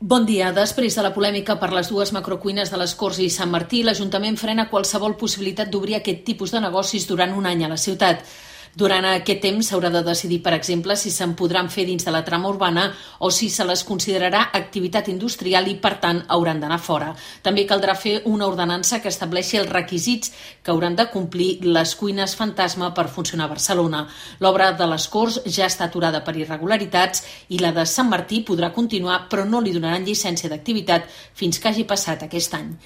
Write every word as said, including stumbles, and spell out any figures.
Bon dia. Després de la polèmica per les dues macrocuines de les Corts i Sant Martí, l'Ajuntament frena qualsevol possibilitat d'obrir aquest tipus de negocis durant un any a la ciutat. Durant aquest temps s'haurà de decidir, per exemple, si se'n podran fer dins de la trama urbana o si se les considerarà activitat industrial i, per tant, hauran d'anar fora. També caldrà fer una ordenança que estableixi els requisits que hauran de complir les cuines fantasma per funcionar a Barcelona. L'obra de les Corts ja està aturada per irregularitats i la de Sant Martí podrà continuar, però no li donaran llicència d'activitat fins que hagi passat aquest any.